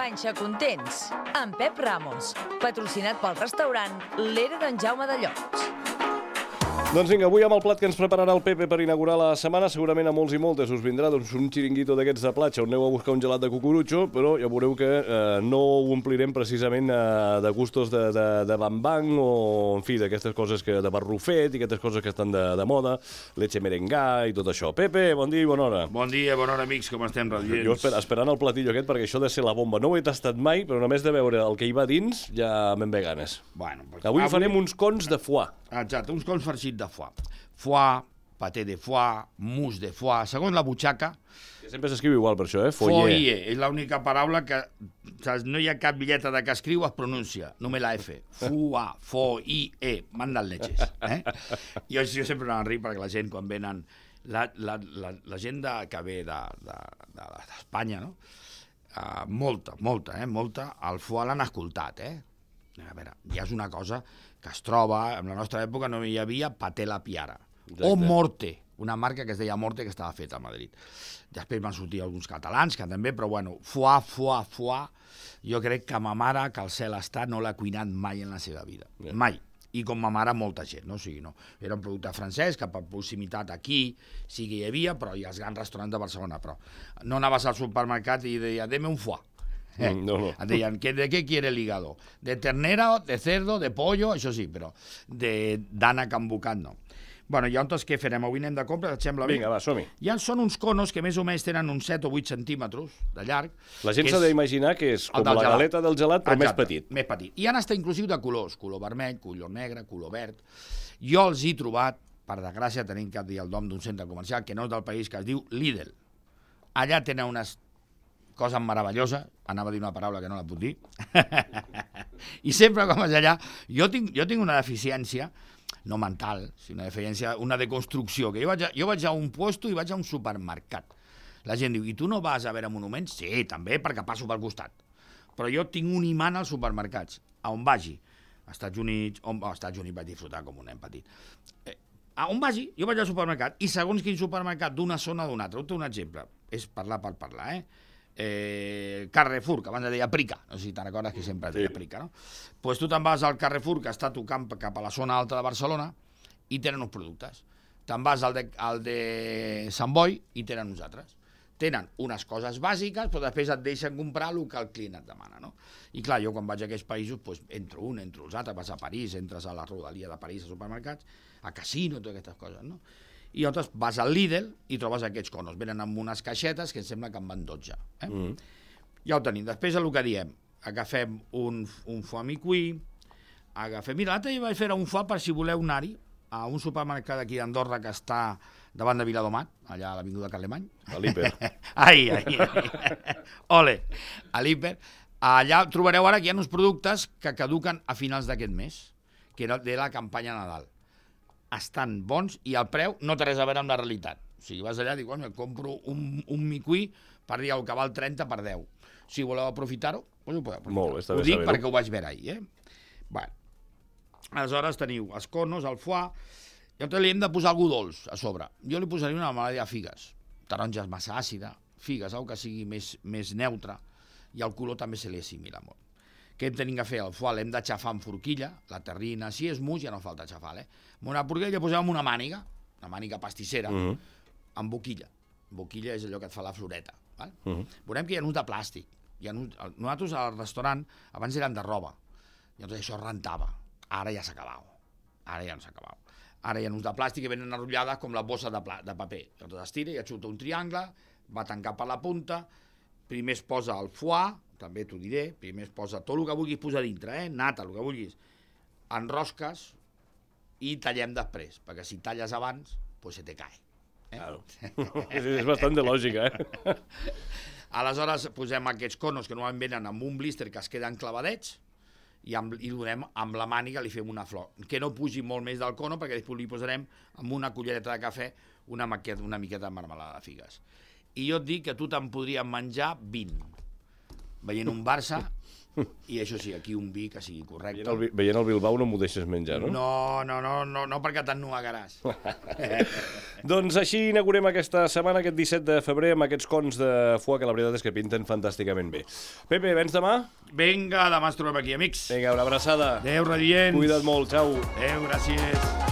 Panxa Contents, amb Pep Ramos, patrocinat pel restaurant L'Era d'en Jaume de Llots. Doncs vinga, avui amb el plat que ens prepararà el Pepe per inaugurar la setmana, segurament a molts i moltes us vindrà un xiringuito d'aquests de platja on aneu a buscar un gelat de cucurutxo, però ja veureu que no ho omplirem precisament de gustos de bambang o, en fi, d'aquestes coses de barrufet i aquestes coses que estan de moda, leche merengà i tot això. Pepe, bon dia i bona hora. Bon dia, bona hora, amics, com estem, radiants? Jo esperant el platillo aquest, perquè això de ser la bomba no ho he tastat mai, però només de veure el que hi va dins ja me'n ve ganes. Bueno, avui farem uns cons de foie. Exacte, uns cons farcits de foie. Foie, paté de foie, mousse de foie, segons la butxaca. Sempre s'escriu igual per això, Foie. És l'única paraula que no hi ha cap bitlleta de que escriu es pronuncia, només la F. Foie, foie, mandan leches. Jo sempre anava a rir perquè la gent, quan venen, la gent que ve d'Espanya, no? Molta, el foie l'han escoltat, A veure, ja és una cosa que es troba, en la nostra època no hi havia paté la piara. Exacte. O Morte, una marca que es deia Morte que estava feta a Madrid. Després van sortir alguns catalans que també, però bueno, foie, jo crec que ma mare, que al cel està, no l'ha cuinat mai en la seva vida. Yeah. Mai. I com ma mare, molta gent, no? O sigui, no. Era un producte francès que per proximitat aquí sí que hi havia, però hi ha els grans restaurants de Barcelona, però no anaves al supermercat i deia, deme un foie. No. Et deien, ¿de qué quiere el hígado? De ternera, de cerdo, de pollo, això sí, però d'ànec embocat no. Bueno, llavors què farem? Avui anem de compra, et sembla bé? Vinga, va, som-hi. Ja són uns conos que més o menys tenen uns 7 o 8 centímetres de llarg. La gent s'ha d'imaginar que és com la galeta del gelat, però més petit. Més petit. I han estat inclusiu de colors, color vermell, color negre, color verd. Jo els he trobat, per desgràcia, tenim que dir el nom d'un centre comercial que no és del país, que es diu Lidl. Allà tenen unes cosa meravellosa, anava a dir una paraula que no la puc dir, i sempre com és allà, jo tinc una deficiència, no mental, sinó una deficiència, una deconstrucció, que jo vaig a un puesto i vaig a un supermercat. La gent diu, i tu no vas a veure monuments? Sí, també, perquè passo pel costat. Però jo tinc un imant als supermercats, a on vagi. Als Estats Units vaig disfrutar com un nen petit. A on vagi, jo vaig al supermercat, i segons quin supermercat, d'una zona o d'una altra, un exemple, és parlar per parlar, Carrefour, que abans deia Prica, no sé si te'n recordes que sempre deia Prica, no? Doncs tu te'n vas al Carrefour, que està tocant cap a la zona alta de Barcelona, i tenen uns productes. Te'n vas al de Sant Boi i tenen uns altres. Tenen unes coses bàsiques, però després et deixen comprar el que el client et demana, no? I clar, jo quan vaig a aquests països, doncs, entro els altres, vas a París, entres a la rodalia de París, a supermercats, a casino, totes aquestes coses, no? I llavors vas al Lidl i trobes aquests conos. Venen amb unes caixetes que em sembla que en van 12. Ja ho tenim. Després el que diem, agafem un foie micuí, mira, l'altre vaig fer un foie per si voleu anar-hi a un supermercat aquí d'Andorra que està davant de Viladomat, allà a l'avinguda Carlemany. A l'Hiper. Ai. Ole, a l'Hiper. Allà trobareu ara que hi ha uns productes que caduquen a finals d'aquest mes, que era de la campanya Nadal. Estan bons i el preu no té res a veure amb la realitat. O sigui, vas allà i dius, em compro un micuí per dir el que val 30 per 10. Si voleu aprofitar-ho, doncs ho podeu aprofitar. Molt bé, està bé ho dic saber-ho. perquè ho vaig veure ahir, Bueno, aleshores teniu els conos, el foie, i llavors li hem de posar algú dolç a sobre. Jo li posaria una melòdia de figues. Taronja és massa àcida, figues, algo que sigui més neutre, i el color també se li assimila molt. Què hem de fer? El foie l'hem de xafar amb forquilla, la terrina, si és mus ja no falta xafar, Amb una forquilla posem una màniga pastissera, amb boquilla. Boquilla és allò que et fa la floreta. Veurem que hi ha uns de plàstic. Nosaltres al restaurant abans eren de roba, llavors això rentava. Ara ja s'ha acabat. Ara ja no s'ha acabat. Ara hi ha uns de plàstic que venen enrotllades com la bossa de paper. Llavors estira i et xuta un triangle, va tancar per la punta, primer es posa el foie, també t'ho diré, primer es posa tot el que vulguis posar dintre, nata, el que vulguis, enrosques i tallem després, perquè si talles abans, doncs se te cae. Claro. És bastant de lògica, Aleshores posem aquests conos que normalment venen amb un blister que es queden clavadets i donem amb la màniga, li fem una flor, que no pugi molt més del cono perquè després li posarem amb una cullereta de cafè una miqueta de marmelada de figues. I jo et dic que tu te'n podries menjar 20. Veient un Barça, I això sí, aquí un vi que sigui correcte. Veient el Bilbao no m'ho deixes menjar, no? No, perquè t'ennuegaràs. Doncs així inaugurem aquesta setmana, aquest 17 de febrer, amb aquests cons de foie que la veritat és que pinten fantàsticament bé. Pepe, vens demà? Vinga, demà ens trobem aquí, amics. Vinga, una abraçada. Adéu, radiants. Cuida't molt, xau. Adéu, gràcies.